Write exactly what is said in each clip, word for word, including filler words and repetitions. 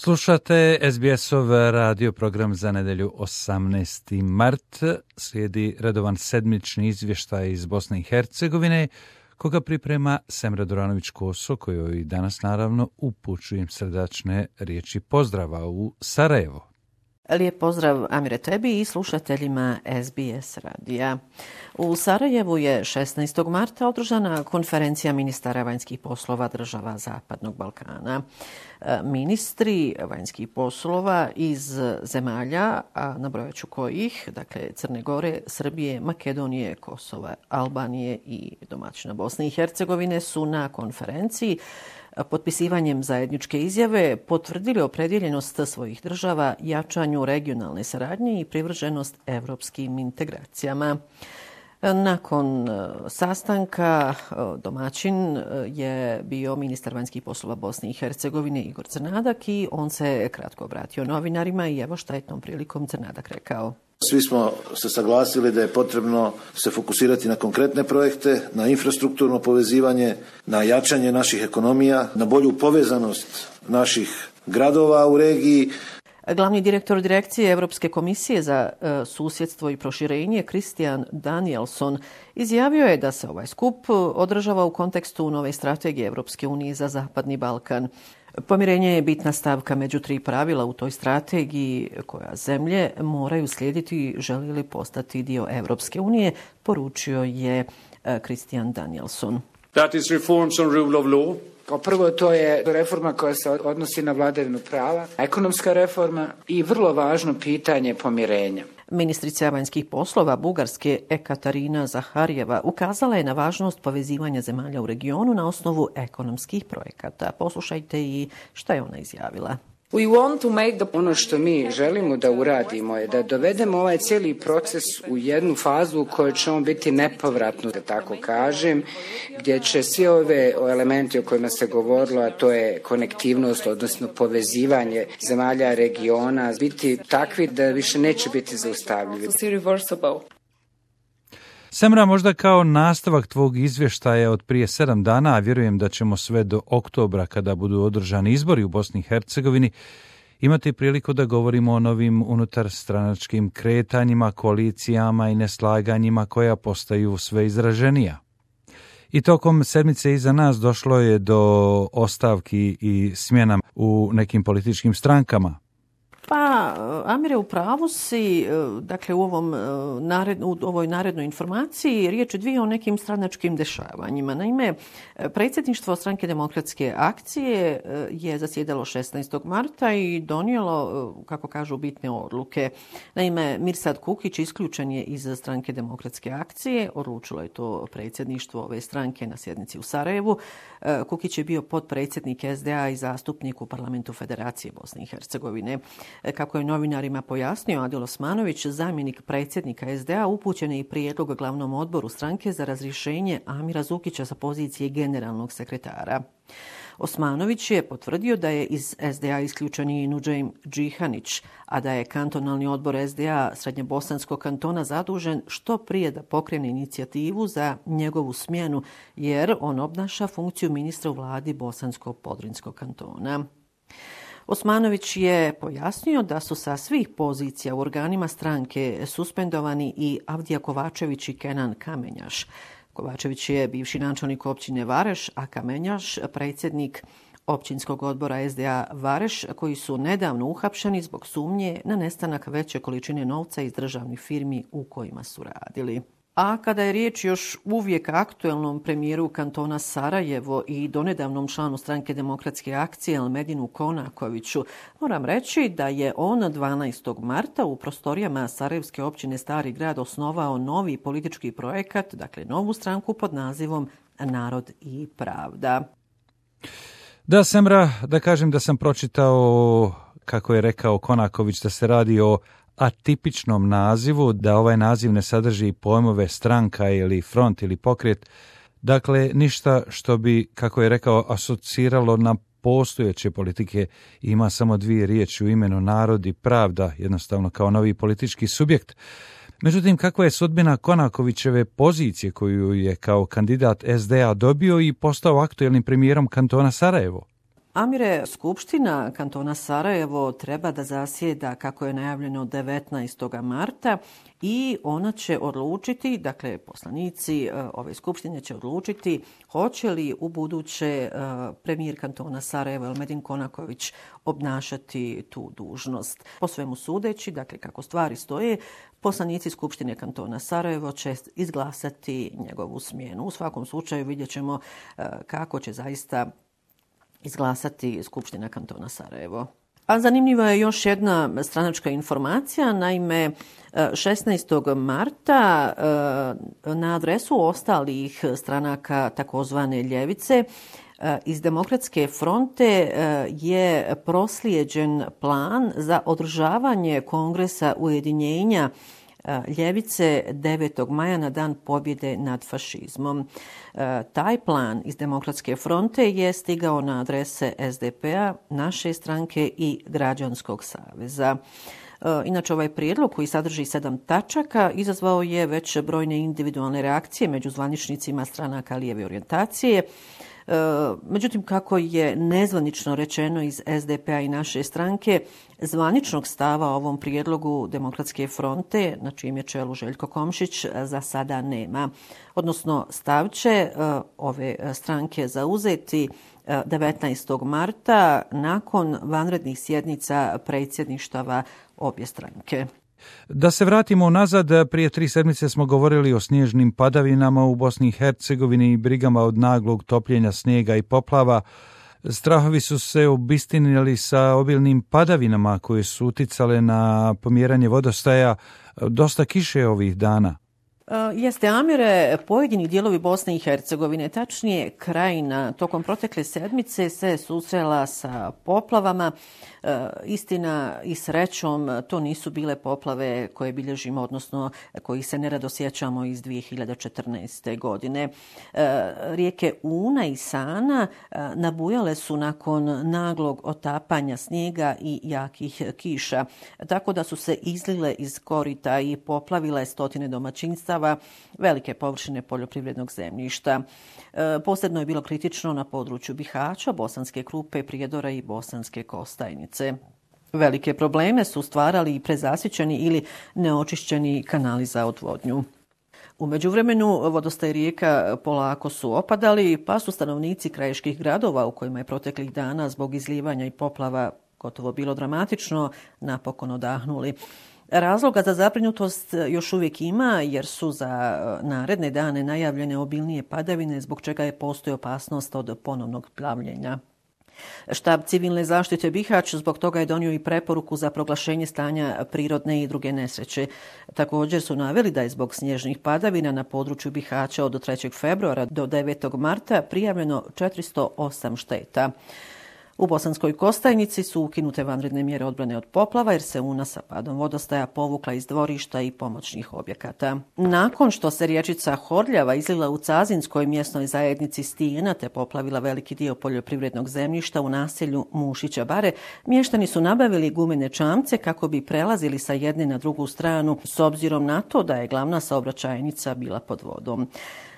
Slušate es be es-ov radio program za nedelju osamnaesti mart. Slijedi redovan sedmični izvještaj iz Bosne i Hercegovine, koga priprema Semra Duranović-Koso, kojoj danas naravno upućujem srdačne riječi pozdrava u Sarajevo. Lijep pozdrav, Amire, tebi i slušateljima es be es radija. U Sarajevu je šesnaestog marta održana konferencija ministara vanjskih poslova država Zapadnog Balkana. Ministri vanjskih poslova iz zemalja, a nabrojat ću kojih, dakle Crne Gore, Srbije, Makedonije, Kosova, Albanije i domaćina Bosne i Hercegovine, su na konferenciji potpisivanjem zajedničke izjave potvrdili opredjeljenost svojih država jačanju regionalne saradnje i privrženost evropskim integracijama. Nakon sastanka domaćin je bio ministar vanjskih poslova Bosne i Hercegovine Igor Crnadak i on se kratko obratio novinarima i evo šta je tom prilikom Crnadak rekao. Svi smo se saglasili da je potrebno se fokusirati na konkretne projekte, na infrastrukturno povezivanje, na jačanje naših ekonomija, na bolju povezanost naših gradova u regiji. Glavni direktor direkcije Europske komisije za e, susjedstvo i proširenje Christian Danielson izjavio je da se ovaj skup održava u kontekstu nove strategije Europske unije za Zapadni Balkan. Pomirenje je bitna stavka među tri pravila u toj strategiji koja zemlje moraju slijediti želi li postati dio Europske unije, poručio je e, Christian Danielson. That is reforms on rule of law. Kao prvo, to je reforma koja se odnosi na vladavinu prava, ekonomska reforma i vrlo važno pitanje pomirenja. Ministrica vanjskih poslova Bugarske Ekaterina Zaharijeva ukazala je na važnost povezivanja zemalja u regionu na osnovu ekonomskih projekata. Poslušajte i šta je ona izjavila. We want to make the... Ono što mi želimo da uradimo je da dovedemo ovaj cijeli proces u jednu fazu u kojoj će on biti nepovratno, da tako kažem, gdje će svi ove elementi o kojima se govorilo, a to je konektivnost, odnosno povezivanje zemalja regiona, biti takvi da više neće biti zaustavljivi. Semra, možda kao nastavak tvog izvještaja od prije sedam dana, a vjerujem da ćemo sve do oktobra, kada budu održani izbori u Bosni i Hercegovini, imati priliku da govorimo o novim unutarstranačkim kretanjima, koalicijama i neslaganjima koja postaju sve izraženija. I tokom sedmice iza nas došlo je do ostavki i smjena u nekim političkim strankama. Pa, Amire, u pravu si, dakle u, ovom, nared, u ovoj narednoj informaciji riječ je dvije o nekim stranačkim dešavanjima. Naime, predsjedništvo Stranke demokratske akcije je zasjedalo šesnaestog marta i donijelo, kako kažu, bitne odluke. Naime, Mirsad Kukić isključen je iz Stranke demokratske akcije, odlučilo je to predsjedništvo ove stranke na sjednici u Sarajevu. Kukić je bio potpredsjednik es de a i zastupnik u parlamentu Federacije Bosne i Hercegovine. Kako je novinarima pojasnio Adil Osmanović, zamjenik predsjednika es de a, upućen je i prijedlog glavnom odboru stranke za razrješenje Amira Zukića sa pozicije generalnog sekretara. Osmanović je potvrdio da je iz es de a isključen i Nudžejm Džihanić, a da je kantonalni odbor es de a Srednjebosanskog kantona zadužen što prije da pokrene inicijativu za njegovu smjenu, jer on obnaša funkciju ministra u vladi Bosansko-Podrinjskog kantona. Osmanović je pojasnio da su sa svih pozicija u organima stranke suspendovani i Avdija Kovačević i Kenan Kamenjaš. Kovačević je bivši načelnik općine Vareš, a Kamenjaš predsjednik općinskog odbora es de a Vareš, koji su nedavno uhapšeni zbog sumnje na nestanak veće količine novca iz državnih firmi u kojima su radili. A kada je riječ još uvijek aktuelnom premijeru kantona Sarajevo i donedavnom članu Stranke demokratske akcije Elmedinu Konakoviću, moram reći da je on dvanaestog marta u prostorijama Sarajevske općine Stari grad osnovao novi politički projekat, dakle novu stranku pod nazivom Narod i pravda. Da, Semra, da kažem da sam pročitao, kako je rekao Konaković, da se radi o atipičnom nazivu, da ovaj naziv ne sadrži pojmove stranka ili front ili pokret. Dakle, ništa što bi, kako je rekao, asociralo na postojeće politike, ima samo dvije riječi u imenu Narod i pravda, jednostavno kao novi politički subjekt. Međutim, kakva je sudbina Konakovićeve pozicije koju je kao kandidat es de a dobio i postao aktuelnim premijerom kantona Sarajevo? Amire, Skupština kantona Sarajevo treba da zasjeda, kako je najavljeno, devetnaestog marta i ona će odlučiti, dakle poslanici ove skupštine će odlučiti hoće li u buduće premijer kantona Sarajevo Elmedin Konaković obnašati tu dužnost. Po svemu sudeći, dakle kako stvari stoje, poslanici Skupštine kantona Sarajevo će izglasati njegovu smjenu. U svakom slučaju vidjet ćemo kako će zaista izglasati Skupština kantona Sarajevo. A zanimljiva je još jedna stranačka informacija. Naime, šesnaestog marta na adresu ostalih stranaka takozvane ljevice iz Demokratske fronte je proslijeđen plan za održavanje Kongresa ujedinjenja ljevice devetog maja na dan pobjede nad fašizmom. Taj plan iz Demokratske fronte je stigao na adrese es de pe a, naše stranke i Građanskog saveza. Inače, ovaj prijedlog koji sadrži sedam tačaka izazvao je već brojne individualne reakcije među zvaničnicima stranaka lijeve orijentacije. Međutim, kako je nezvanično rečeno iz es de pe a i naše stranke, zvaničnog stava o ovom prijedlogu Demokratske fronte, na čijem je čelu Željko Komšić, za sada nema. Odnosno, stav će ove stranke zauzeti devetnaestog marta nakon vanrednih sjednica predsjedništava obje stranke. Da se vratimo nazad, prije tri sedmice smo govorili o snježnim padavinama u Bosni i Hercegovini i brigama od naglog topljenja snijega i poplava. Strahovi su se obistinili sa obilnim padavinama koje su uticale na pomjeranje vodostaja. Dosta kiše ovih dana. Jeste, Amire, pojedini dijelovi Bosne i Hercegovine, tačnije Krajina, tokom protekle sedmice se susrela sa poplavama. E, istina i srećom, to nisu bile poplave koje bilježimo, odnosno koji se nerado sjećamo iz dvije hiljade četrnaeste. godine. E, rijeke Una i Sana e, nabujale su nakon naglog otapanja snijega i jakih kiša, tako da su se izlile iz korita i poplavile stotine domaćinstava, velike površine poljoprivrednog zemljišta. E, posebno je bilo kritično na području Bihaća, Bosanske Krupe, Prijedora i Bosanske Kostajnice. Velike probleme su stvarali i prezasićeni ili neočišćeni kanali za odvodnju. U međuvremenu vodostaj rijeka polako su opadali, pa su stanovnici krajiških gradova u kojima je proteklih dana zbog izlijevanja i poplava gotovo bilo dramatično napokon odahnuli. Razloga za zabrinutost još uvijek ima, jer su za naredne dane najavljene obilnije padavine, zbog čega je postoji opasnost od ponovnog plavljenja. Štab civilne zaštite Bihać zbog toga je donio i preporuku za proglašenje stanja prirodne i druge nesreće. Također su naveli da je zbog snježnih padavina na području Bihaća od trećeg februara do devetog marta prijavljeno četiristo osam šteta. U Bosanskoj Kostajnici su ukinute vanredne mjere odbrane od poplava jer se Una sa padom vodostaja povukla iz dvorišta i pomoćnih objekata. Nakon što se riječica Horljava izlila u Cazinskoj mjesnoj zajednici Stijena te poplavila veliki dio poljoprivrednog zemljišta u naselju Mušića Bare, mještani su nabavili gumene čamce kako bi prelazili sa jedne na drugu stranu s obzirom na to da je glavna saobraćajnica bila pod vodom.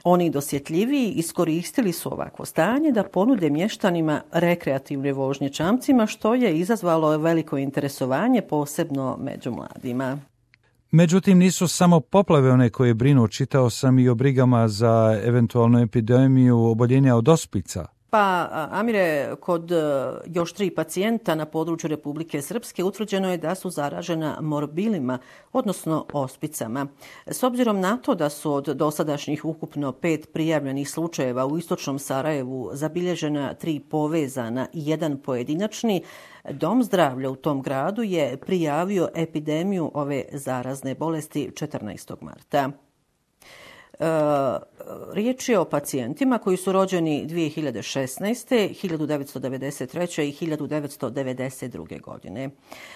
Oni dosjetljiviji iskoristili su ovakvo stanje da ponude mještanima rekreativne vožnje čamcima, što je izazvalo veliko interesovanje, posebno među mladima. Međutim, nisu samo poplave one koje brinu, čitao sam i o brigama za eventualnu epidemiju oboljenja od ospica. Pa, Amire, kod još tri pacijenta na području Republike Srpske utvrđeno je da su zaražena morbilima, odnosno ospicama. S obzirom na to da su od dosadašnjih ukupno pet prijavljenih slučajeva u istočnom Sarajevu zabilježena tri povezana i jedan pojedinačni, Dom zdravlja u tom gradu je prijavio epidemiju ove zarazne bolesti četrnaestog marta. E, riječ je o pacijentima koji su rođeni dvije hiljade šesnaeste, hiljadu devetsto devedeset treće i hiljadu devetsto devedeset druge. godine.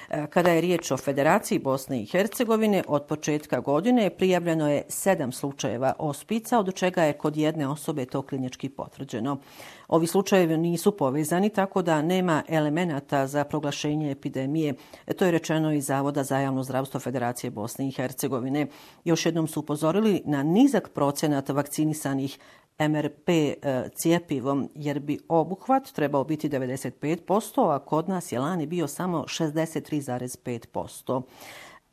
E, kada je riječ o Federaciji Bosne i Hercegovine, od početka godine prijavljeno je sedam slučajeva ospica, od čega je kod jedne osobe to klinički potvrđeno. Ovi slučajevi nisu povezani, tako da nema elemenata za proglašenje epidemije. To je rečeno iz Zavoda za javno zdravstvo Federacije Bosne i Hercegovine. Još jednom su upozorili na nizak procenat vakcinisanih em er pe cjepivom, jer bi obuhvat trebao biti devedeset pet posto, a kod nas je lani bio samo šezdeset tri zarez pet posto.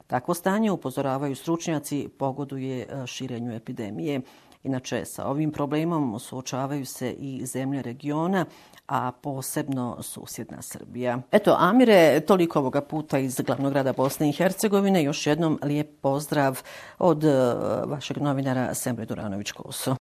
Takvo stanje, upozoravaju stručnjaci, pogoduje širenju epidemije. Inače, sa ovim problemom suočavaju se i zemlje regiona, a posebno susjedna Srbija. Eto, Amire, toliko ovoga puta iz glavnog grada Bosne i Hercegovine. Još jednom lijep pozdrav od vašeg novinara Semre Duranović-Koso.